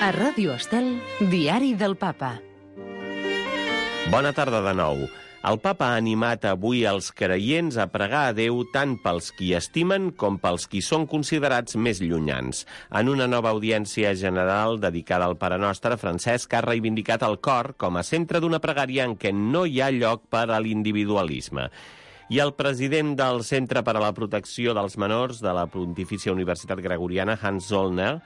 A Ràdio Estel, Diari del Papa. Bona tarda de nou. El papa ha animat avui els creients a pregar a Déu tant pels qui estimen com pels qui són considerats més llunyans. En una nova audiència general dedicada al Pare Nostre, Francesc ha reivindicat el cor com a centre d'una pregària en què no hi ha lloc per a l'individualisme. I el president del Centre per a la Protecció dels Menors de la Pontifícia Universitat Gregoriana, Hans Zollner,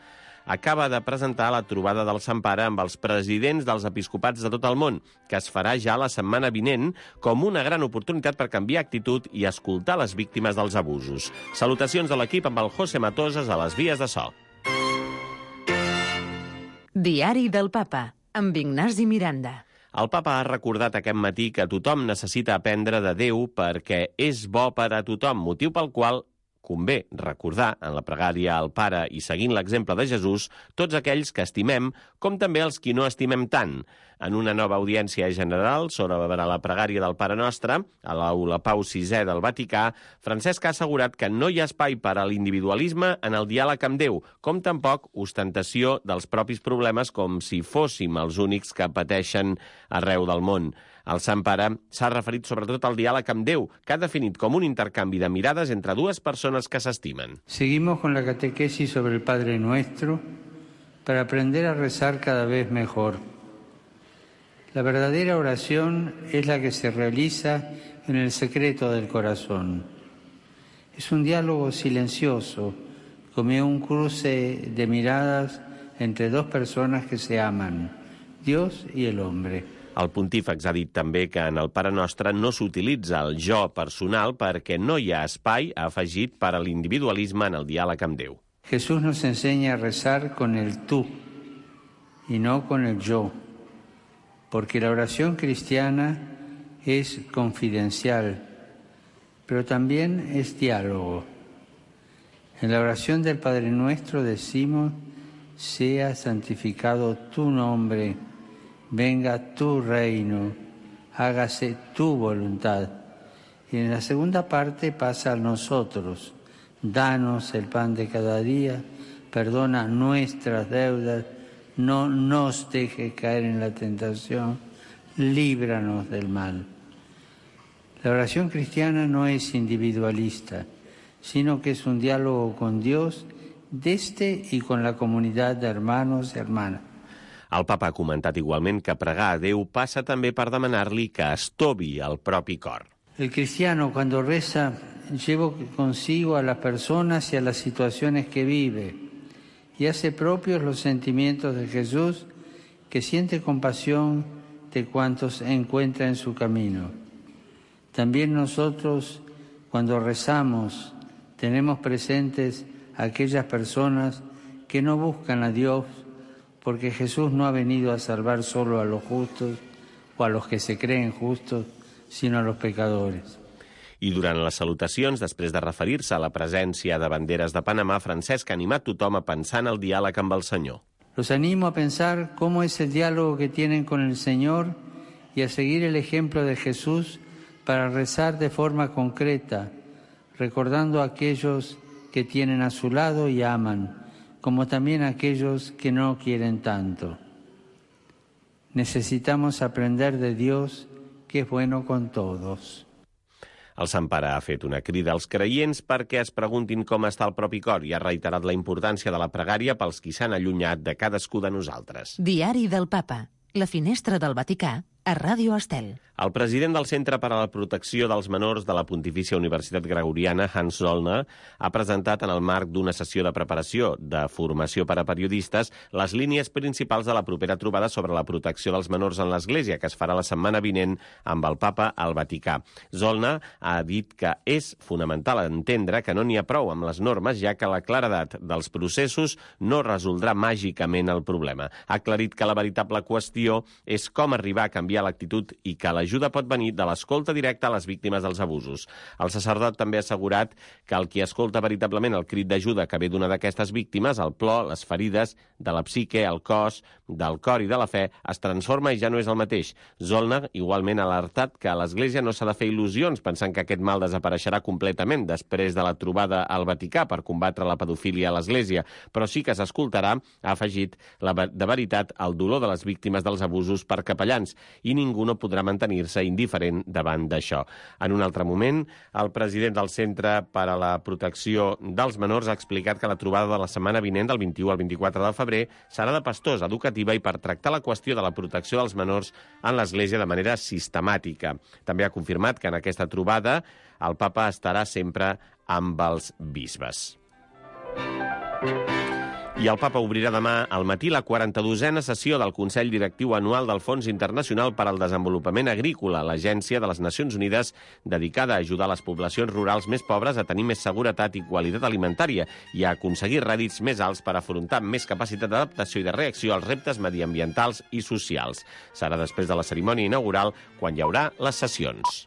acaba de presentar la trobada del Sant Pare amb els presidents dels episcopats de tot el món, que es farà ja la setmana vinent com una gran oportunitat per canviar actitud i escoltar les víctimes dels abusos. Salutacions de l'equip amb el José Matoses a les vies de so. Diari del Papa, amb Ignasi Miranda. El papa ha recordat aquest matí que tothom necessita aprendre de Déu perquè és bo per a tothom, motiu pel qual convé recordar en la pregària al Pare i seguint l'exemple de Jesús tots aquells que estimem com també els qui no estimem tant. En una nova audiència general sobre la pregària del Pare Nostre, a l'Aula Pau VI del Vaticà, Francesc ha assegurat que no hi ha espai per a l'individualisme en el diàleg amb Déu, com tampoc ostentació dels propis problemes com si fóssim els únics que pateixen arreu del món. El Sant Pare s'ha referit sobretot al diàleg amb Déu, que ha definit com un intercanvi de mirades entre dues persones que s'estimen. Seguimos con la catequesis sobre el Padre Nuestro para aprender a rezar cada vez mejor. La verdadera oración es la que se realiza en el secreto del corazón. Es un diálogo silencioso, como un cruce de miradas entre dos personas que se aman, Dios y el hombre. El pontífex ha dit també que en el Pare Nostre no s'utilitza el jo personal perquè no hi ha espai, ha afegit, per a l'individualisme en el diàleg amb Déu. Jesús nos enseña a rezar con el tú y no con el yo, porque la oración cristiana es confidencial, pero también es diálogo. En la oración del Padre Nuestro decimos: sea santificado tu nombre, venga tu reino, hágase tu voluntad. Y en la segunda parte pasa a nosotros: danos el pan de cada día, perdona nuestras deudas, no nos dejes caer en la tentación, líbranos del mal. La oración cristiana no es individualista, sino que es un diálogo con Dios desde y con la comunidad de hermanos y hermanas. El papa ha comentat igualment que pregar a Déu passa també per demanar-li que estovi el propi cor. El cristiano, cuando reza, lleva consigo a las personas y a las situaciones que vive y hace propios los sentimientos de Jesús, que siente compasión de cuantos encuentra en su camino. También nosotros, cuando rezamos, tenemos presentes a aquellas personas que no buscan a Dios, porque Jesús no ha venido a salvar solo a los justos o a los que se creen justos, sino a los pecadores. I durant les salutacions, després de referir-se a la presència de banderes de Panamà, Francesc ha animat tothom a pensar en el diàleg amb el Senyor. Los animo a pensar cómo es el diálogo que tienen con el Señor y a seguir el ejemplo de Jesús para rezar de forma concreta, recordando a aquellos que tienen a su lado y aman, como también a aquellos que no quieren tanto. Necesitamos aprender de Dios, que es bueno con todos. El Sant Pare ha fet una crida als creients perquè es preguntin com està el propi cor i ha reiterat la importància de la pregària pels qui s'han allunyat de cadascú de nosaltres. Diari del Papa, la finestra del Vaticà, a Ràdio Estel. El president del Centre per a la Protecció dels Menors de la Pontifícia Universitat Gregoriana, Hans Zollner, ha presentat en el marc d'una sessió de preparació de formació per a periodistes les línies principals de la propera trobada sobre la protecció dels menors en l'Església, que es farà la setmana vinent amb el Papa al Vaticà. Zollner ha dit que és fonamental entendre que no n'hi ha prou amb les normes, ja que la claredat dels processos no resoldrà màgicament el problema. Ha aclarit que la veritable qüestió és com arribar a canviar canviar l'actitud i que l'ajuda pot venir de l'escolta directa a les víctimes dels abusos. El sacerdot també ha assegurat que el qui escolta veritablement el crit d'ajuda que ve d'una d'aquestes víctimes, el plor, les ferides de la psique, el cos, del cor i de la fe, es transforma i ja no és el mateix. Zollner igualment ha alertat que a l'Església no s'ha de fer il·lusions pensant que aquest mal desapareixerà completament després de la trobada al Vaticà per combatre la pedofília a l'Església, però sí que s'escoltarà, ha afegit, de veritat el dolor de les víctimes dels abusos per capellans i ningú no podrà mantenir-se indiferent davant d'això. En un altre moment, el president del Centre per a la Protecció dels Menors ha explicat que la trobada de la setmana vinent, del 21 al 24 de febrer, serà de pastors, educativa i per tractar la qüestió de la protecció dels menors en l'Església de manera sistemàtica. També ha confirmat que en aquesta trobada el papa estarà sempre amb els bisbes. I el papa obrirà demà al matí la 42a sessió del Consell Directiu Anual del Fons Internacional per al Desenvolupament Agrícola, l'agència de les Nacions Unides dedicada a ajudar les poblacions rurals més pobres a tenir més seguretat i qualitat alimentària i a aconseguir rèdits més alts per afrontar amb més capacitat d'adaptació i de reacció als reptes mediambientals i socials. Serà després de la cerimònia inaugural quan hi haurà les sessions.